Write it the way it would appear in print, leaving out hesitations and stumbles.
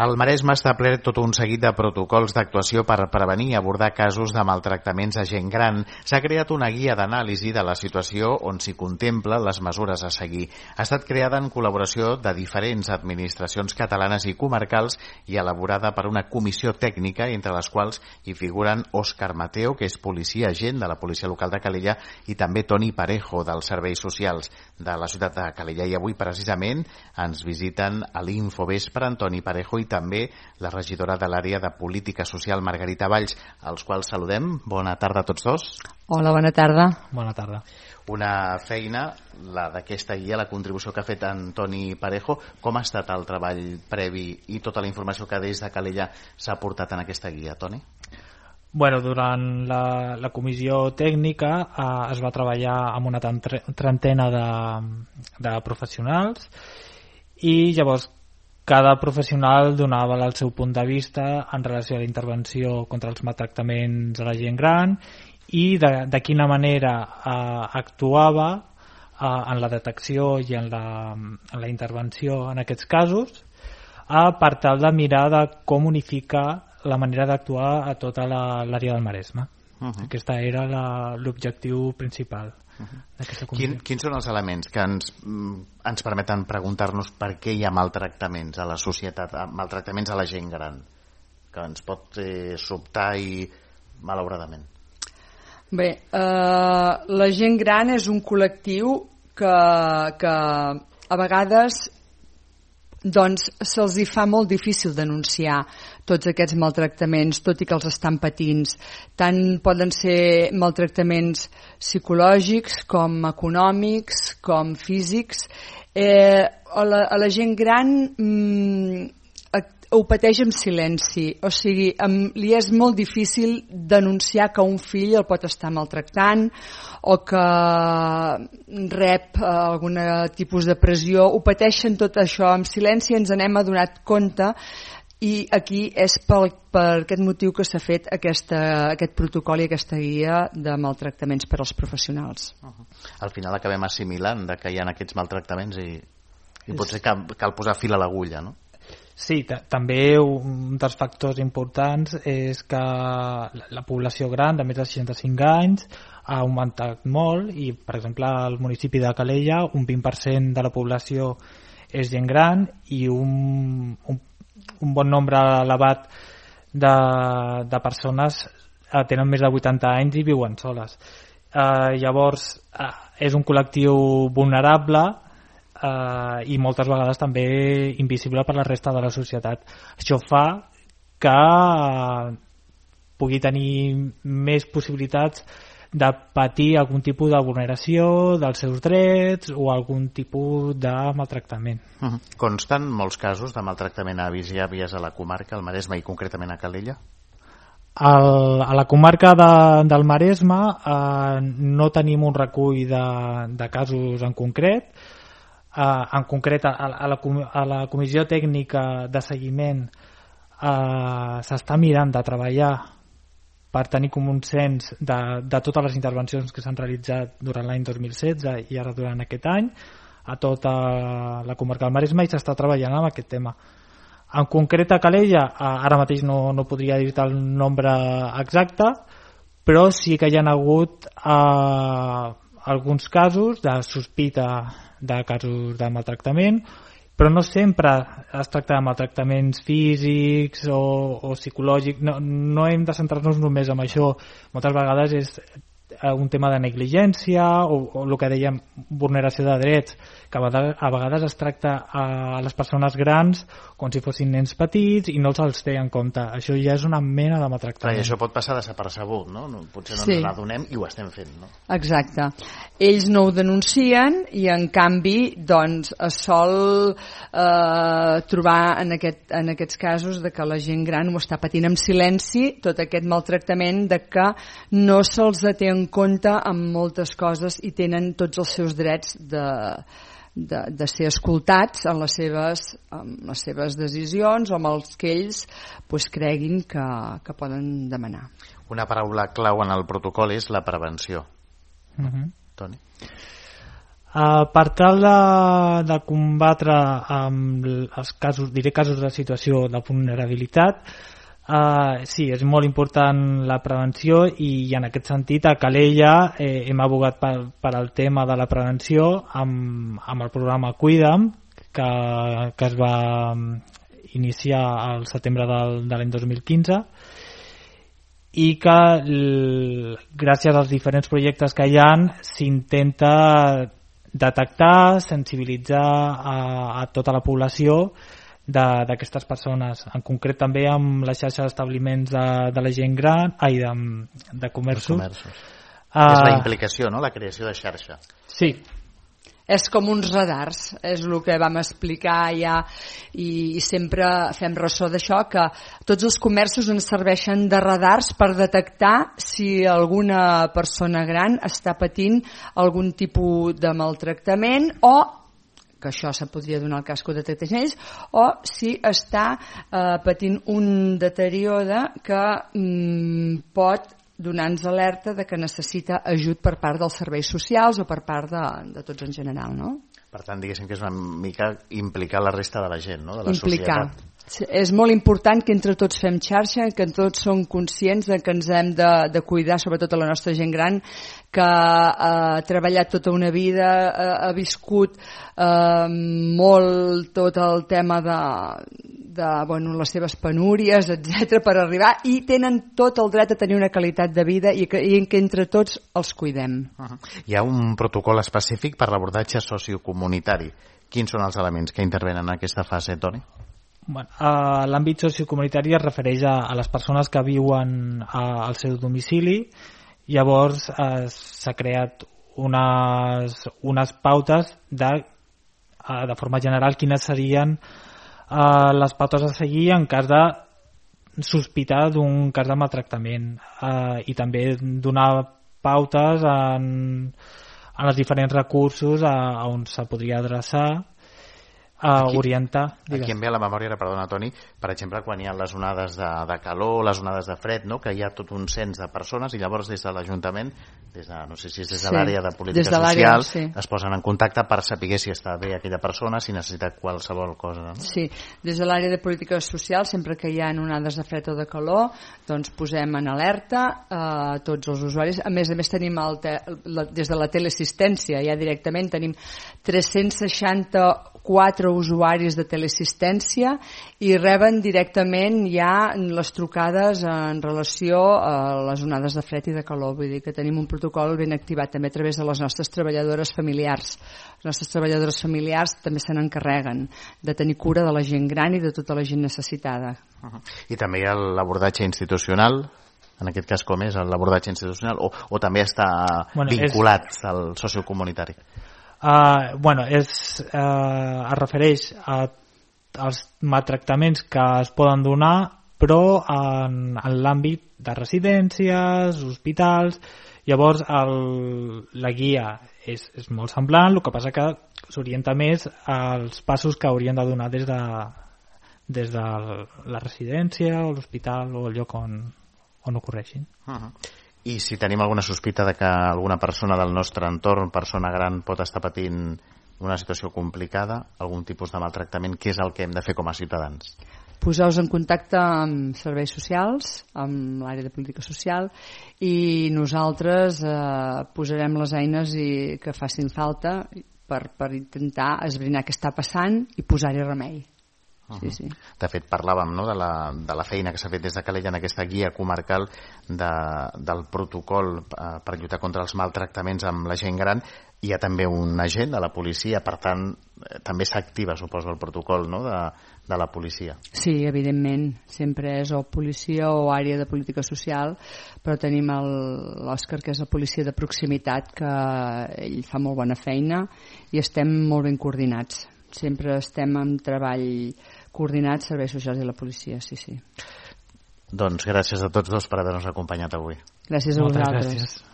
El Maresme ha establert tot un seguit de protocols d'actuació per prevenir i abordar casos de maltractaments a gent gran. S'ha creat una guia d'anàlisi de la situació on s'hi contempla les mesures a seguir. Ha estat creada en col·laboració de diferents administracions catalanes i comarcals i elaborada per una comissió tècnica, entre les quals hi figuren Òscar Mateo, que és policia agent de la policia local de Calella, i també Toni Parejo, dels serveis socials de la ciutat de Calella. I avui, precisament, ens visiten a l'Infovespre en Toni Parejo i també la regidora de l'àrea de Política Social, Margarita Valls, als quals saludem. Bona tarda a tots dos. Hola, bona tarda. Bona tarda. Una feina, la d'aquesta guia, la contribució que ha fet Toni Parejo. Com ha estat el treball previ i tota la informació que des de Calella s'ha portat en aquesta guia, Toni? Bueno, durant la comissió tècnica es va treballar amb una trentena de professionals i llavors cada professional donava el seu punt de vista en relació a la intervenció contra els maltractaments a la gent gran i de quina manera actuava en la detecció i en la intervenció en aquests casos per tal de mirar de com unificar la manera d'actuar a tota l'àrea del Maresme. Aquesta era l'objectiu principal. Quins són els elements que ens permeten preguntar-nos per què hi ha maltractaments a la societat, maltractaments a la gent gran, que ens pot sobtar i malauradament? Bé, la gent gran és un col·lectiu que a vegades doncs se'ls hi fa molt difícil denunciar tots aquests maltractaments, tot i que els estan patint. Tant poden ser maltractaments psicològics com econòmics, com físics. A la gent gran ho pateix en silenci, o sigui, li és molt difícil denunciar que un fill el pot estar maltractant o que rep algun tipus de pressió. Ho pateixen tot això en silenci, ens n'hem adonat compte i aquí és per aquest motiu que s'ha fet aquest protocol i aquesta guia de maltractaments per als professionals. Al final acabem assimilant que hi ha aquests maltractaments i potser cal posar fil a l'agulla, no? Sí, també un dels factors importants és que la població gran de més de 65 anys ha augmentat molt i, per exemple, al municipi de Calella un 20% de la població és gent gran i un bon nombre elevat de persones tenen més de 80 anys i viuen soles. Llavors, és un col·lectiu vulnerable i moltes vegades també invisible per la resta de la societat. Això fa que pugui tenir més possibilitats de patir algun tipus de vulneració dels seus drets o algun tipus de maltractament. Consten molts casos de maltractament a avis i àvies a la comarca, al Maresme i concretament a Calella? A la comarca del Maresme no tenim un recull de casos en concret. En concret a la comissió tècnica de seguiment s'està mirant de treballar per tenir com un cens de totes les intervencions que s'han realitzat durant l'any 2016 i ara durant aquest any a tota la comarca del Maresme i s'està treballant amb aquest tema. En concret a Calella ara mateix no podria dir-te el nombre exacte, però sí que hi ha hagut alguns casos de sospita de casos de maltractament, però no sempre es tracta de maltractaments físics o psicològics. No hem de centrar-nos només en això. Moltes vegades és un tema de negligència o el que dèiem, vulneració de drets, que a vegades es tracta a les persones grans com si fossin nens petits i no els té en compte. Això ja és una mena de maltractament. I això pot passar desapercebut, no? Potser no ens n'adonem i ho estem fent, no? Exacte. Ells no ho denuncien i en canvi doncs es sol trobar en aquests casos de que la gent gran ho està patint en silenci, tot aquest maltractament, de que no se'ls té en compte amb moltes coses i tenen tots els seus drets de ser escoltats en les seves decisions o amb els que ells creguin que poden demanar. Una paraula clau en el protocol és la prevenció. Toni? Per tal de combatre els casos, diré casos de situació de vulnerabilitat, sí, és molt important la prevenció i en aquest sentit a Calella hem abogat per al tema de la prevenció amb el programa Cuida'm que es va iniciar al setembre de l'any 2015 i que gràcies als diferents projectes que hi ha s'intenta detectar, sensibilitzar a tota la població d'aquestes persones, en concret també amb la xarxa d'establiments de la gent gran, de comerços. És la implicació, no? La creació de xarxa. Sí. És com uns radars, és el que vam explicar ja i sempre fem ressò d'això, que tots els comerços ens serveixen de radars per detectar si alguna persona gran està patint algun tipus de maltractament o que això se podria donar el cas que ho detectés ells, o si està patint un deteriore que pot donar-nos alerta de que necessita ajut per part dels serveis socials o per part de tots en general, no? Per tant, diguéssim que és una mica implicar la resta de la gent, no? De la societat. És molt important que entre tots fem xarxa, que tots som conscients de que ens hem de cuidar, sobretot a la nostra gent gran, que ha treballat tota una vida, ha viscut molt tot el tema de les seves penúries, etc per arribar, i tenen tot el dret a tenir una qualitat de vida i que entre tots els cuidem. Hi ha un protocol específic per l'abordatge sociocomunitari. Quins són els elements que intervenen en aquesta fase, Toni? Bueno, l'àmbit sociocomunitari es refereix a les persones que viuen al seu domicili. Llavors s'ha creat unes pautes de forma general quines serien les pautes a seguir en cas de sospitar d'un cas de maltractament i també donar pautes en els diferents recursos a on se podria adreçar, orientar. Aquí em ve a la memòria, perdona Toni, per exemple quan hi ha les onades de calor, les onades de fred, no? Que hi ha tot un cens de persones i llavors des de l'Ajuntament, no sé si és des de l'àrea de política social, es posen en contacte per saber si està bé aquella persona, si necessita qualsevol cosa, no? Sí, des de l'àrea de política social, sempre que hi ha onades de fred o de calor, doncs posem en alerta tots els usuaris. A més tenim des de la teleassistència, ja directament tenim 364 usuaris de teleassistència i reben directament ja les trucades en relació a les onades de fred i de calor. Vull dir que tenim un protocol ben activat també a través de les nostres treballadores familiars. Les nostres treballadores familiars també se n'encarreguen de tenir cura de la gent gran i de tota la gent necessitada. I també hi ha l'abordatge institucional, en aquest cas com és l'abordatge institucional, o també està vinculat al sociocomunitari? Es refereix als maltractaments que es poden donar però en l'àmbit de residències, hospitals. Llavors la guia és molt semblant, el que passa que s'orienta més als passos que haurien de donar des de la residència o l'hospital o el lloc on ocorreixin. I si tenim alguna sospita de que alguna persona del nostre entorn, persona gran, pot estar patint una situació complicada, algun tipus de maltractament, què és el que hem de fer com a ciutadans? Poseu-vos en contacte amb serveis socials, amb l'àrea de política social, i nosaltres posarem les eines que facin falta per intentar esbrinar què està passant i posar-hi remei. Sí. De fet, parlàvem, no, de la feina que s'ha fet des de Calella en aquesta guia comarcal del protocol per lluitar contra els maltractaments amb la gent gran. Hi ha també un agent de la policia, per tant també s'activa, suposo, el protocol, no, de la policia. Sí, evidentment, sempre és o policia o àrea de política social, però tenim l'Òscar, que és la policia de proximitat, que ell fa molt bona feina i estem molt ben coordinats. Sempre estem en treball coordinat, serveis socials i la policia, sí. Doncs gràcies a tots dos per haver-nos acompanyat avui. Gràcies a vosaltres. Gràcies.